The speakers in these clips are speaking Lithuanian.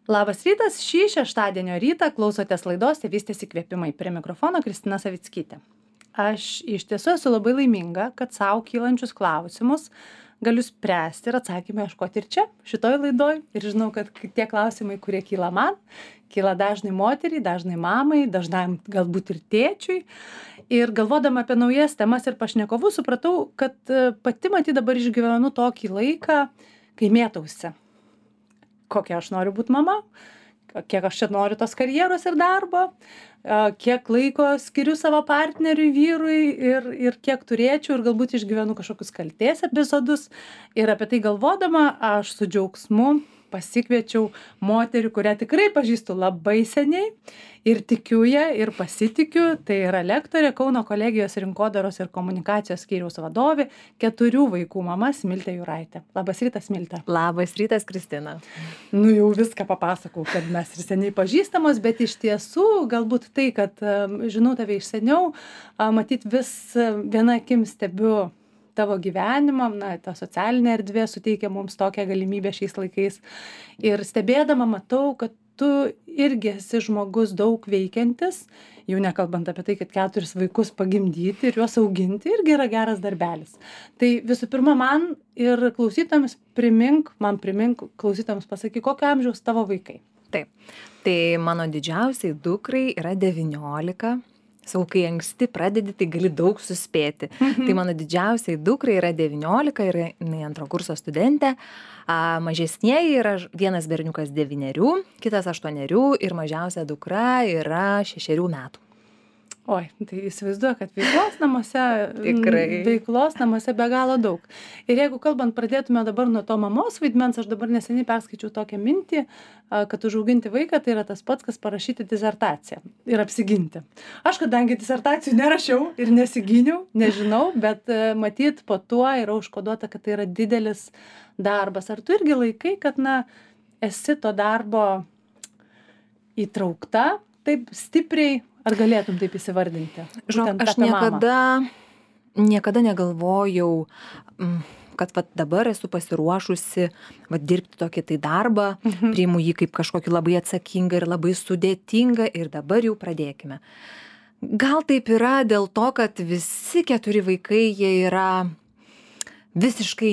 Labas rytas, šį šeštadienio rytą klausotės laidos Tėvystės įkvėpimai. Prie mikrofono Kristina Savickytė. Aš iš tiesų esu labai laiminga, kad savo kylančius klausimus galiu spręsti ir atsakymą ieškoti ir čia, šitoj laidoj. Ir žinau, kad tie klausimai, kurie kyla man, kyla dažnai moteriai, dažnai mamai, dažnai galbūt ir tėčiui. Ir galvodama apie naujas temas ir pašnekovus, supratau, kad pati matyt dabar išgyvenu tokį laiką, kai mėtausi. Kokia aš noriu būti mama, kiek aš čia noriu tos karjeros ir darbo, kiek laiko skiriu savo partneriui, vyrui ir kiek turėčiau ir galbūt išgyvenu kažkokius kaltės epizodus. Ir apie tai galvodama aš su džiaugsmu pasikviečiau moterį, kurią tikrai pažįstu labai seniai ir tikiu ją ir pasitikiu. Tai yra lektorė Kauno kolegijos rinkodaros ir komunikacijos skyriaus vadovė, 4 vaikų mama Smiltė Juraitė. Labas rytas, Smiltė. Labas rytas, Kristina. Nu jau viską papasakau, kad mes ir seniai pažįstamos, bet iš tiesų galbūt tai, kad žinau tave iš seniau, matyt vis viena akim stebiu tavo gyvenimą, ta socialinė erdvė suteikia mums tokią galimybę šiais laikais. Ir stebėdama matau, kad tu irgi esi žmogus daug veikiantis, jau nekalbant apie tai, kad 4 vaikus pagimdyti ir juos auginti irgi yra geras darbelis. Tai visų pirma, man ir klausytojams primink, klausytojams pasakyk, kokio amžiaus tavo vaikai. Taip, tai mano didžiausiai dukrai yra 19. Sau, kai anksti pradedi, tai gali daug suspėti. Tai mano didžiausiai dukrai yra 19 ir jinai 2 kurso studentė. Mažesnieji yra vienas berniukas 9, kitas 8 ir mažiausia dukra yra 6 metų. Oi, tai įsivaizduoju, kad veiklos namuose be galo daug. Ir jeigu kalbant, pradėtume dabar nuo to mamos vaidmens, aš dabar neseniai perskaičiau tokią mintį, kad užauginti vaiką tai yra tas pats, kas parašyti disertaciją ir apsiginti. Aš kadangi disertacijų nerašiau ir nesigyniau, nežinau, bet matyt po tuo yra užkoduota, kad tai yra didelis darbas. Ar tu irgi laikai, kad esi to darbo įtraukta taip stipriai? Ar galėtum taip įsivardinti? Žinok, aš niekada negalvojau, kad dabar esu pasiruošusi dirbti tokį tai darbą, priimu jį kaip kažkokį labai atsakingą ir labai sudėtingą ir dabar jau pradėkime. Gal taip yra dėl to, kad visi 4 vaikai, jie yra visiškai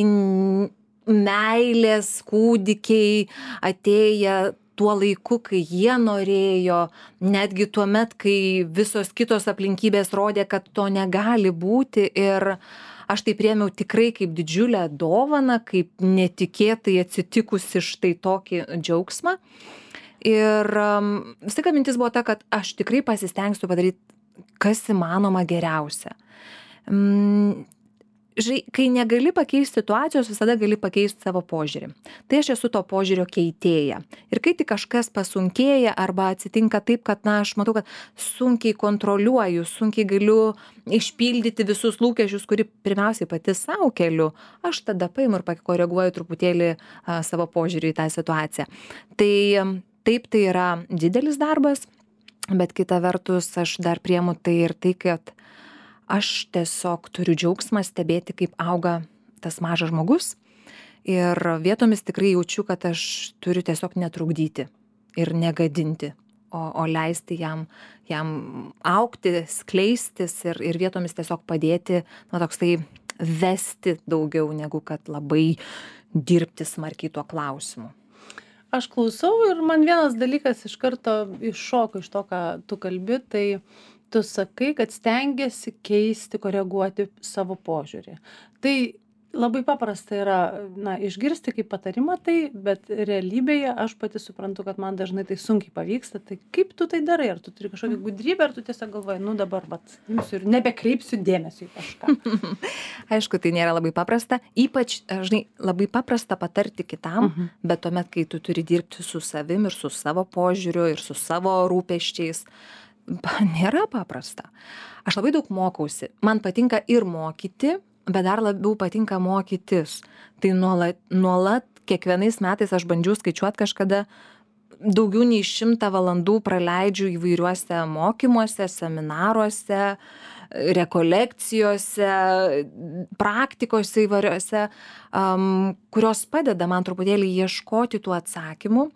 meilės kūdikiai, atėję tuo laiku, kai jie norėjo, netgi tuo met, kai visos kitos aplinkybės rodė, kad to negali būti. Ir aš tai priėmiau tikrai kaip didžiulę dovaną, kaip netikėtai atsitikusi štai tokį džiaugsmą. Ir visą mintis buvo ta, kad aš tikrai pasistengsiu padaryti, kas įmanoma geriausia. Kai negali pakeisti situacijos, visada gali pakeisti savo požiūrį. Tai aš esu to požiūrio keitėja. Ir kai tik kažkas pasunkėja arba atsitinka taip, kad aš matau, kad sunkiai kontroliuoju, sunkiai galiu išpildyti visus lūkesčius, kurį pirmiausiai pati savo keliu, aš tada paimu ir pakoreguoju truputėlį savo požiūrį į tą situaciją. Tai taip, tai yra didelis darbas, bet kita vertus aš dar priemu tai ir tai, kad aš tiesiog turiu džiaugsmą stebėti, kaip auga tas mažas žmogus ir vietomis tikrai jaučiu, kad aš turiu tiesiog netrukdyti ir negadinti, o leisti jam augti, skleistis ir vietomis tiesiog padėti, toksai vesti daugiau negu kad labai dirbti smarkiai tuo klausimu. Aš klausau ir man vienas dalykas iš karto iššoko iš to, ką tu kalbi, tai tu sakai, kad stengiasi keisti, koreguoti savo požiūrį. Tai labai paprasta yra, išgirsti kaip patarimą tai, bet realybėje aš pati suprantu, kad man dažnai tai sunkiai pavyksta. Tai kaip tu tai darai? Ar tu turi kažkokią gudrybę, ar tu tiesiog galvoji, dabar imsiu ir nebekreipsiu dėmesio į kažką? Aišku, tai nėra labai paprasta. Ypač, labai paprasta patarti kitam, bet tuomet, kai tu turi dirbti su savim ir su savo požiūriu ir su savo rūpesčiais, nėra paprasta. Aš labai daug mokausi. Man patinka ir mokyti, bet dar labiau patinka mokytis. Tai nuolat kiekvienais metais aš bandžiau skaičiuoti kažkada daugiau nei 100 valandų praleidžiu įvairiuose mokymuose, seminaruose, rekolekcijose, praktikose įvairiose, kurios padeda man truputėlį ieškoti tų atsakymų.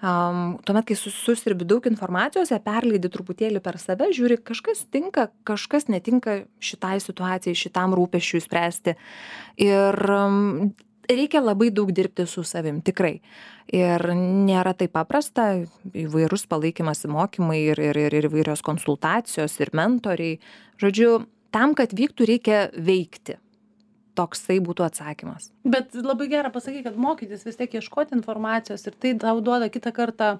Tuomet, kai susirbi daug informacijos, perleidi truputėlį per save, žiūri, kažkas tinka, kažkas netinka šitai situacijai, šitam rūpesčiui spręsti. Ir reikia labai daug dirbti su savim, tikrai. Ir nėra taip paprasta, įvairūs palaikymas, mokymai ir įvairios konsultacijos ir mentoriai. Žodžiu, tam, kad vyktų, reikia veikti. Toksai būtų atsakymas. Bet labai gera pasakyti, kad mokytis vis tiek ieškoti informacijos ir tai tau duoda kitą kartą,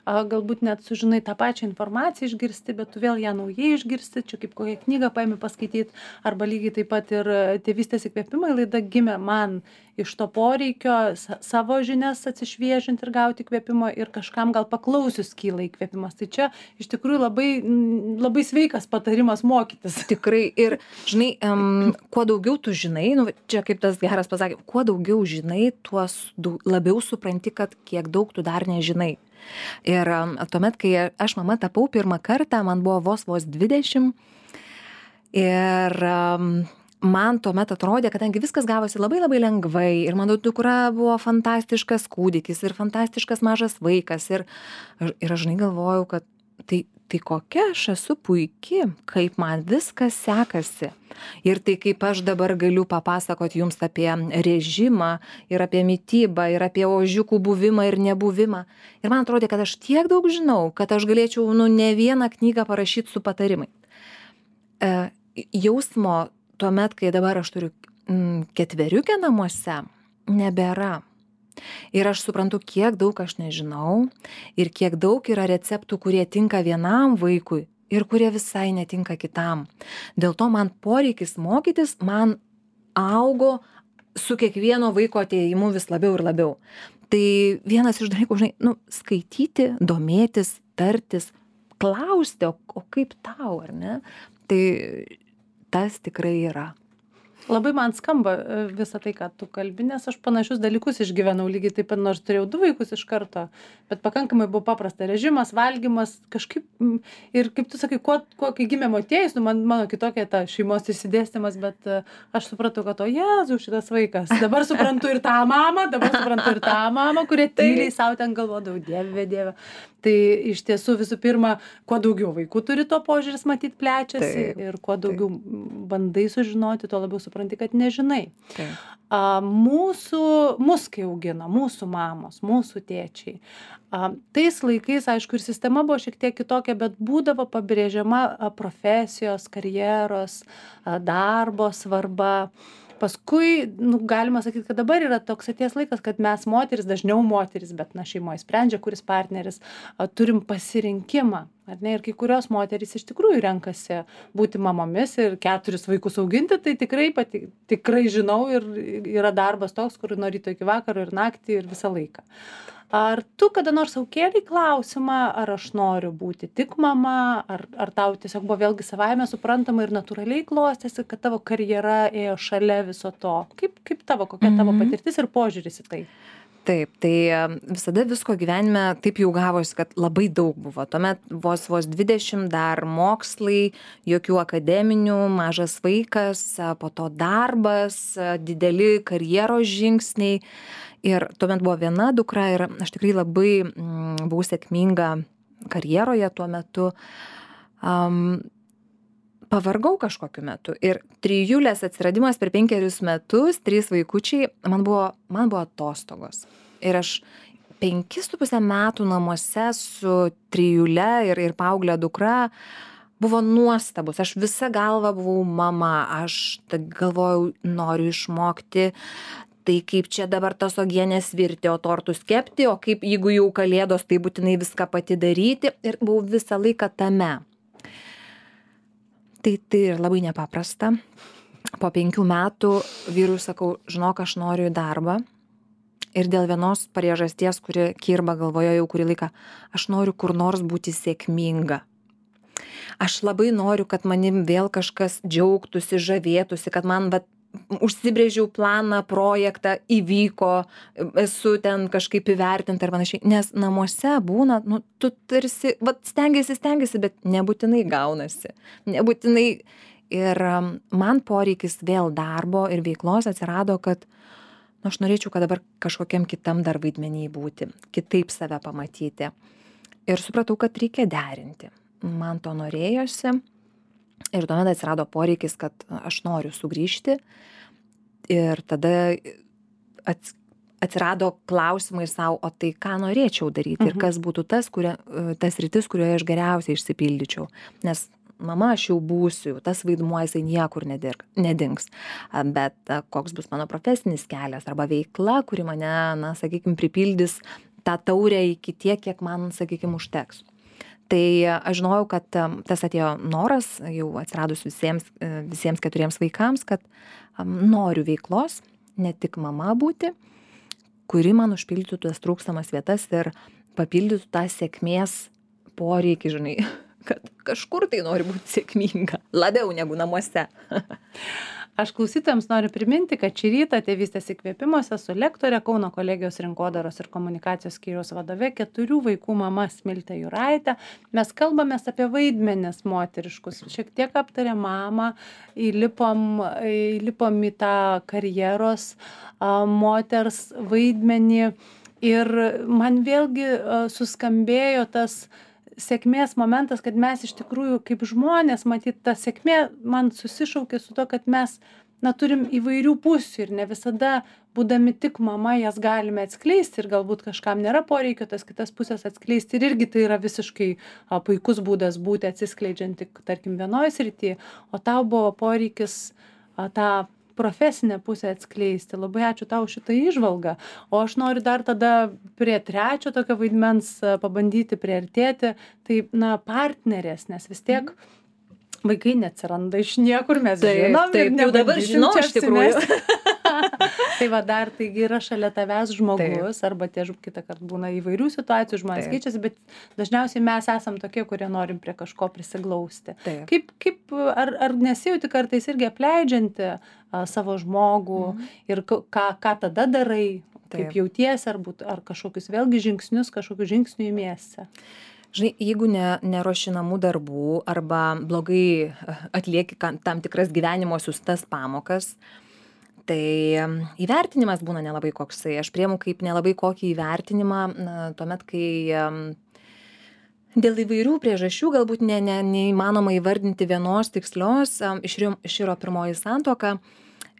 galbūt net sužinai tą pačią informaciją išgirsti, bet tu vėl ją naujai išgirsti, čia kaip kokią knygą paimi paskaityti, arba lygiai taip pat ir Tėvystės įkvėpimai laida gimė man iš to poreikio savo žinias atsišviežinti ir gauti įkvėpimo ir kažkam gal paklausius kyla įkvėpimas. Tai čia iš tikrųjų labai sveikas patarimas mokytis. Tikrai ir, žinai, kuo daugiau tu žinai, čia kaip tas geras pasakė, kuo daugiau žinai, tuo labiau supranti, kad kiek daug tu dar nežinai. Ir tuomet, kai aš mama tapau pirmą kartą, man buvo vos 20 ir man tuomet atrodė, kadangi viskas gavosi labai labai lengvai ir mano dukra buvo fantastiškas kūdikis ir fantastiškas mažas vaikas ir aš žinai galvojau, kad tai kokia aš esu puiki, kaip man viskas sekasi. Ir tai kaip aš dabar galiu papasakoti jums apie režimą ir apie mitybą ir apie ožiukų buvimą ir nebuvimą. Ir man atrodė, kad aš tiek daug žinau, kad aš galėčiau ne vieną knygą parašyti su patarimai. Jausmo tuomet, kai dabar aš turiu 4 namuose, nebėra. Ir aš suprantu, kiek daug aš nežinau ir kiek daug yra receptų, kurie tinka vienam vaikui ir kurie visai netinka kitam. Dėl to man poreikis mokytis man augo su kiekvieno vaiko atėjimu vis labiau ir labiau. Tai vienas iš dalykų, žinai, skaityti, domėtis, tartis, klausti, o kaip tau, ar ne? Tai tas tikrai yra. Labai man skamba visą tai, ką tu kalbi, nes aš panašius dalykus išgyvenau lygiai taip pat, nors turėjau 2 vaikus iš karto, bet pakankamai buvo paprasta. Režimas, valgymas, kažkaip, ir kaip tu sakai, kai gimė Motiejus, mano kitokia ta šeimos išsidėstymas, bet aš supratau, kad Jėzau, šitas vaikas. Dabar suprantu ir tą mamą, kurie tyliai savo ten galvodavau, Dieve. Tai iš tiesų visų pirma, kuo daugiau vaikų turi, to požiūris matyt plečiasi ir kuo daugiau bandai sužinoti, tuo labiau supranti, kad nežinai. Mus kai augino, mūsų mamos, mūsų tėčiai. Tais laikais, aišku, ir sistema buvo šiek tiek kitokia, bet būdavo pabrėžiama profesijos, karjeros, darbo svarba. Paskui, galima sakyti, kad dabar yra toks atėjęs laikas, kad mes moteris, dažniau moteris, bet šeimoje sprendžia, kuris partneris, turim pasirinkimą. Ar ne? Ir kai kurios moterys iš tikrųjų renkasi būti mamomis ir 4 vaikus auginti, tai tikrai žinau ir yra darbas toks, kur nuo ryto iki vakaro ir naktį ir visą laiką. Ar tu kada nors sau kėlei klausimą, ar aš noriu būti tik mama, ar tau tiesiog buvo vėlgi savaime suprantama ir natūraliai klostėsi, kad tavo karjera ėjo šalia viso to? Kokia tavo patirtis ir požiūris į tai? Taip, tai visada visko gyvenime taip jau gavosi, kad labai daug buvo. Tuomet vos 20, dar mokslai, jokių akademinių, mažas vaikas, po to darbas, dideli karjeros žingsniai. Ir tuomet buvo viena dukra ir aš tikrai labai buvau sėkminga karjeroje tuo metu. Pavargau kažkokiu metu ir 3 atsiradimas per 5 metus, 3 vaikučiai, man buvo atostogos. Ir aš 5,5 metų namuose su 3 ir paauglė dukra buvo nuostabus. Aš visa galva buvau mama, aš galvojau, noriu išmokti. Tai kaip čia dabar tos uogienės virti, o tortus kepti, o kaip jeigu jau kalėdos, tai būtinai viską pati daryti. Ir buvau visą laiką tame. Tai ir labai nepaprasta. Po 5 metų vyrui sakau, žinok, aš noriu į darbą. Ir dėl vienos priežasties, kuri kirba galvoje jau kurį laiką, aš noriu kur nors būti sėkminga. Aš labai noriu, kad manim vėl kažkas džiaugtųsi, žavėtųsi, kad man užsibrėžiau planą, projektą, įvyko, esu ten kažkaip įvertinta ir panašiai. Nes namuose būna, tu tarsi, stengiasi, bet nebūtinai gaunasi. Nebūtinai. Ir man poreikis vėl darbo ir veiklos atsirado, kad aš norėčiau, kad dabar kažkokiam kitam dar vaidmenį būti, kitaip save pamatyti. Ir supratau, kad reikia derinti. Man to norėjosi. Ir tuomet atsirado poreikis, kad aš noriu sugrįžti. Ir tada atsirado klausimai savo, o tai ką norėčiau daryti ir kas būtų tas rytis, kurioje aš geriausiai išsipildyčiau. Nes mama aš jau būsiu, tas vaidmuo jisai niekur nedings. Bet koks bus mano profesinis kelias arba veikla, kuri mane, sakykime, pripildys tą taurę iki tiek, kiek man, sakykime, užteks. Tai aš žinojau, kad tas atėjo noras, jau atsiradus visiems 4 vaikams, kad noriu veiklos, ne tik mama būti, kuri man užpildytų tas trūkstamas vietas ir papildytų tą sėkmės poreikį, žinai, kad kažkur tai nori būti sėkminga, labiau negu namuose. Aš klausytojams noriu priminti, kad šį rytą Tėvystės įkvėpimuose su lektore Kauno kolegijos rinkodaros ir komunikacijos skyriaus vadove 4 vaikų mama Smilte Juraitė. Mes kalbamės apie vaidmenis moteriškus. Šiek tiek aptarė mamą, įlipom į tą karjeros moters vaidmenį. Ir man vėlgi suskambėjo tas sėkmės momentas, kad mes iš tikrųjų kaip žmonės, matyt, ta sėkmė man susišaukė su to, kad mes turim įvairių pusių ir ne visada, būdami tik mama, jas galime atskleisti ir galbūt kažkam nėra poreikio tas kitas pusės atskleisti ir irgi tai yra visiškai puikus būdas būti atsiskleidžianti, tarkim, vienoje srityje, o tau buvo poreikis tą profesinę pusę atskleisti. Labai ačiū tau šitą įžvalgą. O aš noriu dar tada prie 3 tokio vaidmens pabandyti priartėti. Tai, partnerės, nes vis tiek vaikai neatsiranda iš niekur, mes žinom. Taip, jau dabar žinau iš tikrųjų. Tai va dar, taigi yra šalia tavęs žmogus, arba kitą kartą būna įvairių situacijų, žmonės keičiasi, bet dažniausiai mes esam tokie, kurie norim prie kažko prisiglausti. Ar nesijauti kartais irgi apleidžianti savo žmogų ir ką tada darai, kaip jautiesi, ar kažkokius vėlgi žingsnius, kažkokių žingsnių imiesi? Žinai, jeigu neruoši namų darbų arba blogai atlieki tam tikras gyvenimo siųstas pamokas, tai įvertinimas būna nelabai koksai. Aš priimu kaip nelabai kokį įvertinimą, tuomet, kai dėl įvairių priežasčių galbūt neįmanoma įvardinti vienos tikslios, iširo pirmoji santuoka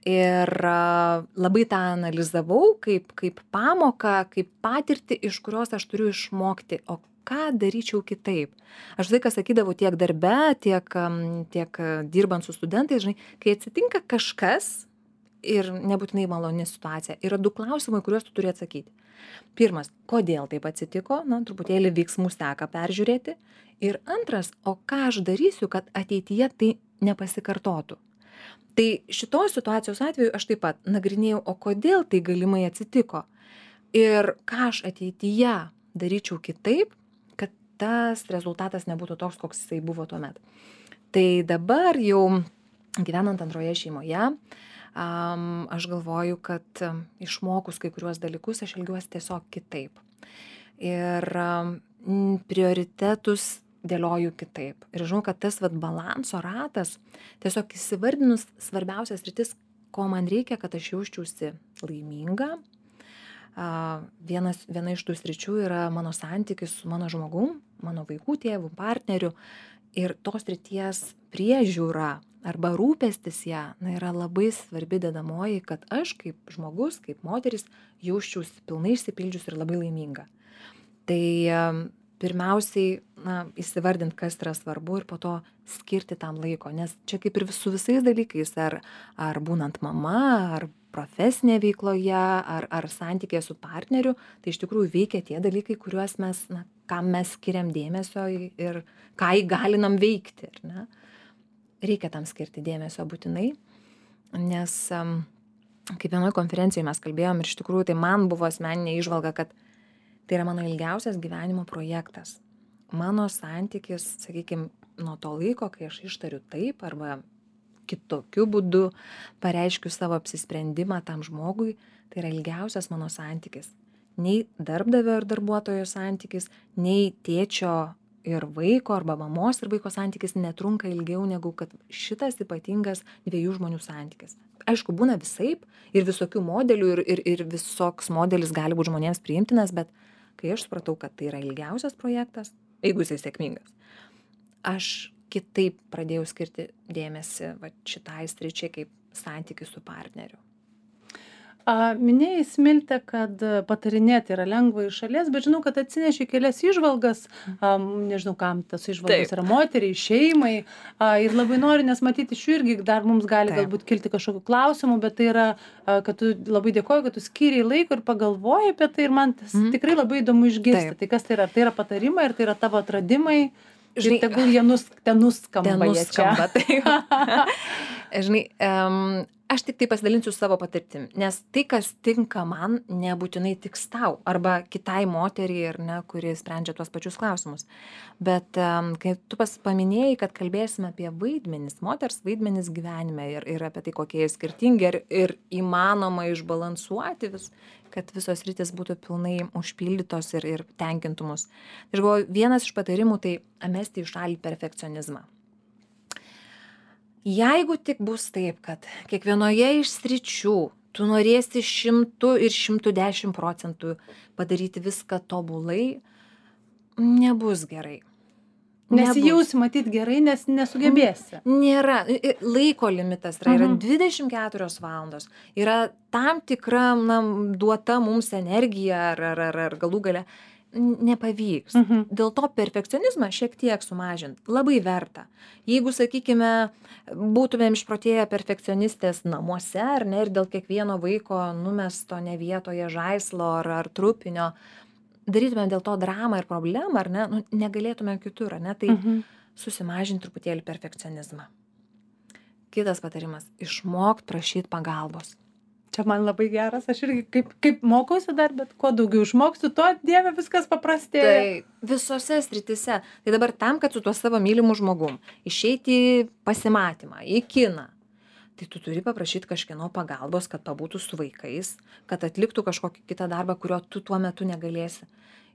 ir labai tą analizavau kaip pamoką, kaip patirtį, iš kurios aš turiu išmokti, o ką daryčiau kitaip. Aš visą laiką sakydavau tiek darbe, tiek dirbant su studentais, žinai, kai atsitinka kažkas, ir nebūtinai maloni situacija. Yra 2 klausimai, kuriuos tu turi atsakyti. Pirmas, kodėl taip atsitiko, truputėlį veiksmų seką peržiūrėti. Ir antras, o ką aš darysiu, kad ateityje tai nepasikartotų. Tai šitos situacijos atveju aš taip pat nagrinėjau, o kodėl tai galimai atsitiko. Ir ką aš ateityje daryčiau kitaip, kad tas rezultatas nebūtų toks, koks jisai buvo tuomet. Tai dabar jau gyvenant antroje šeimoje, aš galvoju, kad išmokus kai kuriuos dalykus, aš elgiuosi tiesiog kitaip. Ir prioritetus dėlioju kitaip. Ir žinau, kad tas balanso ratas, tiesiog įsivardinus svarbiausias sritis, ko man reikia, kad aš jausčiausi laiminga. Viena iš tų sričių yra mano santykis su mano žmogum, mano vaikų tėvų, partneriu. Ir tos srities priežiūra arba rūpestis ją yra labai svarbi dedamoji, kad aš kaip žmogus, kaip moteris jausčiausi pilnai išsipildžius ir labai laiminga. Tai pirmiausiai įsivardint, kas yra svarbu ir po to skirti tam laiko, nes čia kaip ir su visais dalykais, ar būnant mama, ar profesinėje veikloje, ar santykėje su partneriu, tai iš tikrųjų veikia tie dalykai, kuriuos mes, kam mes skiriam dėmesio ir ką įgalinam veikti. Reikia tam skirti dėmesio būtinai, nes kaip vienoje konferencijoje mes kalbėjom ir iš tikrųjų tai man buvo asmeninė įžvalga, kad tai yra mano ilgiausias gyvenimo projektas. Mano santykis, sakykime, nuo to laiko, kai aš ištariu taip arba kitokiu būdu pareiškiu savo apsisprendimą tam žmogui, tai yra ilgiausias mano santykis. Nei darbdavio ir darbuotojo santykis, nei tėčio ir vaiko arba mamos ir vaiko santykis netrunka ilgiau negu kad šitas ypatingas 2 žmonių santykis. Aišku, būna visaip ir visokių modelių ir visoks modelis gali būti žmonėms priimtinas, bet kai aš supratau, kad tai yra ilgiausias projektas, jeigu jisai sėkmingas, aš kitaip pradėjau skirti dėmesį šitai sričiai kaip santykis su partneriu. Minėjai, Smilte, kad patarinėti yra lengva iš šalies, bet žinau, kad atsineši kelias įžvalgas, nežinau, kam tas įžvalgas yra moteriai, šeimai, ir labai noriu, nes matyti iš jų irgi dar mums gali galbūt kilti kažkokių klausimų, bet tai yra, kad tu labai dėkoju, kad tu skyriai laiko ir pagalvoji apie tai ir man tas tikrai labai įdomu išgirsti. Tai kas tai yra? Tai yra patarimai ir tai yra tavo atradimai? Žinai, ir tegul jie nuskamba. Žinai, aš tik tai pasidalinsiu savo patirtim, nes tai, kas tinka man, nebūtinai tiks tau arba kitai moteriai, ar ne, kuri sprendžia tuos pačius klausimus. Bet kai tu paminėjai, kad kalbėsime apie vaidmenis, moters vaidmenis gyvenime ir apie tai, kokie jie skirtingi ir įmanoma išbalansuoti kad visos rytis būtų pilnai užpildytos ir tenkintų mus. Aš galvoju, vienas iš patarimų tai mesti į šalį perfekcionizmą. Jeigu tik bus taip, kad kiekvienoje iš sričių tu norėsi 100 ir 110% padaryti viską tobulai, nebus gerai. Nesijausi matyt gerai, nes nesugebėsi. Nėra. Laiko limitas yra 24 valandos. Yra tam tikra duota mums energija ar galų gale nepavyks. Dėl to perfekcionizmą šiek tiek sumažint labai verta. Jeigu, sakykime, būtumėm išprotėję perfekcionistės namuose, ar ne, ir dėl kiekvieno vaiko numesto ne vietoje žaislo ar trupinio, darytumėm dėl to dramą ir problemą, ar ne, negalėtumėm kitur, ar ne, tai susimažinti truputėlį perfekcionizmą. Kitas patarimas - išmokt prašyti pagalbos. Čia man labai geras, aš irgi kaip mokausi dar, bet kuo daugiau išmoksiu, tuo Dieve viskas paprastėja. Tai visose sritise. Tai dabar tam, kad su tuo savo mylimu žmogum išeiti į pasimatymą, į kiną, tai tu turi paprašyti kažkieno pagalbos, kad pabūtų su vaikais, kad atliktų kažkokį kitą darbą, kurio tu tuo metu negalėsi.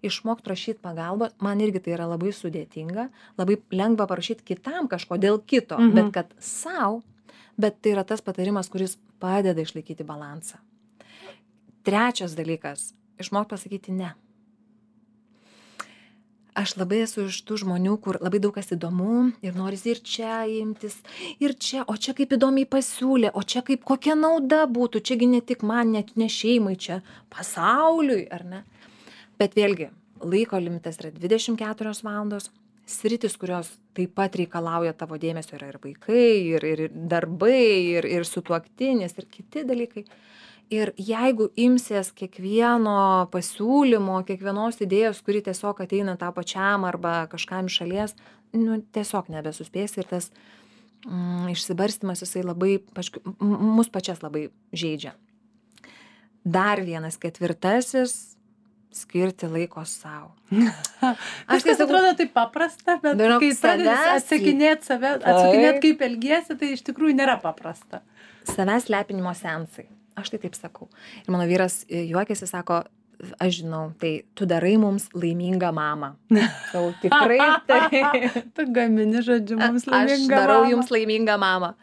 Išmokt prašyti pagalbos, man irgi tai yra labai sudėtinga, labai lengva parašyti kitam kažko dėl kito, bet kad sau, bet tai yra tas patarimas, kuris padeda išlaikyti balansą. Trečias dalykas - išmokt pasakyti ne. Aš labai esu iš tų žmonių, kur labai daug kas įdomu ir norisi ir čia imtis, ir čia, o čia kaip įdomiai pasiūlė, o čia kaip kokia nauda būtų, čiagi ne tik man, net ne šeimai, čia pasauliui, ar ne? Bet vėlgi, laiko limitas yra 24 valandos, sritis, kurios taip pat reikalauja tavo dėmesio, yra ir vaikai, ir darbai, ir sutuoktinis, ir kiti dalykai. Ir jeigu imsies kiekvieno pasiūlymo, kiekvienos idėjos, kuri tiesiog ateina tau pačiam arba kažkam iš šalies, tiesiog nebesuspėsi ir tas išsibarstymas jisai labai, mus pačias labai žeidžia. Dar vienas ketvirtasis - skirti laiko savo. Viskas atrodo taip paprasta, bet kai pradedi atsakinėti kaip elgiesi, tai iš tikrųjų nėra paprasta. Savęs lepinimo seansai. Aš tai taip sakau. Ir mano vyras juokiasi, sako, aš žinau, tai tu darai mums laimingą mamą. Sau tikrai tai. Tu gamini, žodžiu, mums laimingą mamą. Aš darau jums laimingą mamą.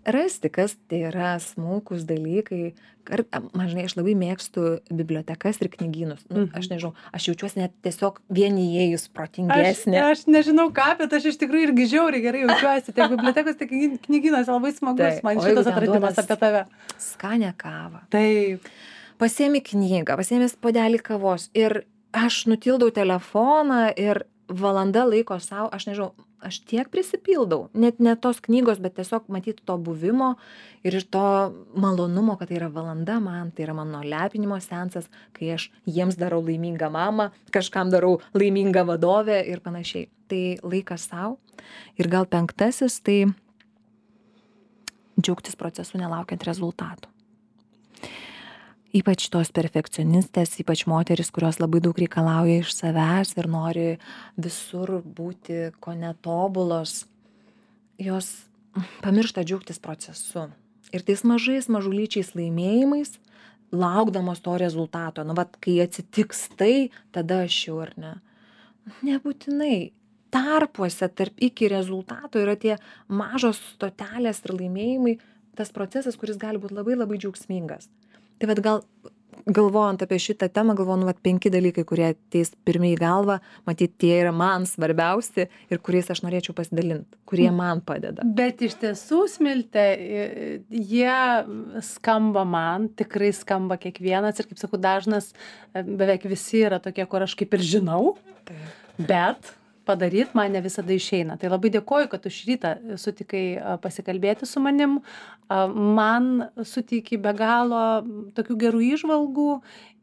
Rasti, kas tai yra smulkus dalykai. Žinai, aš labai mėgstu bibliotekas ir knygynus. Aš nežinau, aš jaučiuosi net tiesiog vien įėjus protingesnė. Aš nežinau ką, bet aš iš tikrųjų irgi žiauriai gerai jaučiuosi. Tiek bibliotekos, tiek knygynas labai smagus. Man šitas atradimas apie tave. Skanę kavą. Taip. Pasiemi knygą, pasiemi puodelį kavos ir aš nutildau telefoną ir valanda laiko savo, aš nežinau, aš tiek prisipildau, net ne tos knygos, bet tiesiog matyti to buvimo ir iš to malonumo, kad tai yra valanda man, tai yra mano lepinimo seansas, kai aš jiems darau laimingą mamą, kažkam darau laimingą vadovę ir panašiai. Tai laikas savo. Ir gal penktasis, tai džiaugtis procesu nelaukiant rezultatų. Ypač tos perfekcionistės, ypač moteris, kurios labai daug reikalauja iš savęs ir nori visur būti ko netobulos, jos pamiršta džiaugtis procesu. Ir tais mažulyčiais laimėjimais, laukdamos to rezultato, kai atsitiks tai, tada aš jau ar ne. Nebūtinai. tarpuose tarp iki rezultato yra tie mažos stotelės ir laimėjimai, tas procesas, kuris gali būt labai labai džiaugsmingas. Tai vat gal galvojant apie šitą temą, galvoju, nu, vat 5 dalykai, kurie ateis pirmi į galvą, matyt, tie yra man svarbiausi ir kuriais aš norėčiau pasidalinti, kurie man padeda. Bet iš tiesų, Smilte, jie skamba man, tikrai skamba kiekvienas ir, kaip sakau, dažnas, beveik visi yra tokie, kur aš kaip ir žinau, bet padaryt man ne visada išeina. Tai labai dėkoju, kad tu šį rytą sutikai pasikalbėti su manim. Man suteikia be galo tokių gerų įžvalgų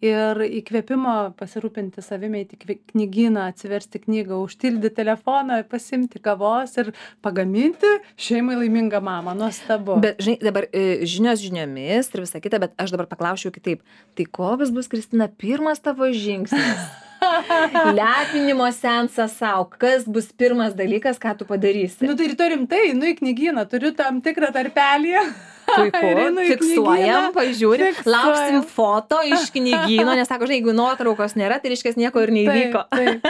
ir įkvėpimo pasirūpinti savimi, eiti į knygyną, atsiversti knygą, užtildyti telefoną, pasimti kavos ir pagaminti šeimai laimingą mamą. Nuostabu. Bet, žinai, dabar žinios žiniomis ir visa kita, bet aš dabar paklausčiau kitaip. Tai koks bus, Kristina, pirmas tavo žingsnis? Lepinimo seansas sau. Kas bus pirmas dalykas, ką tu padarysi? Nu tai rytoj rimtai, į knygyną, turiu tam tikrą tarpelį. Puiku, fiksuojam, pažiūrim, lauksim foto iš knygyno, nes sako, žinai, jeigu nuotraukos nėra, tai reiškia nieko ir neįvyko. Taip.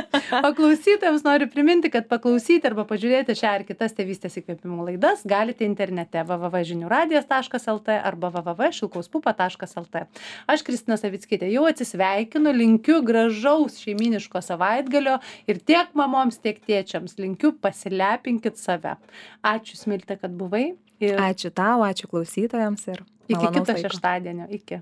O klausytojams noriu priminti, kad paklausyti arba pažiūrėti šią ar kitas tėvystės įkvėpimų laidas galite internete www.žiniųradijas.lt arba www.šilkauspupa.lt. Aš, Kristina Savickytė, jau atsisveikinu, linkiu gražaus šeiminiško savaitgalio ir tiek mamoms, tiek tėčiams linkiu pasilepinkit save. Ačiū, Smilte, kad buvai. Ačiū tau, ačiū klausytojams ir iki kito šeštadienio. Iki.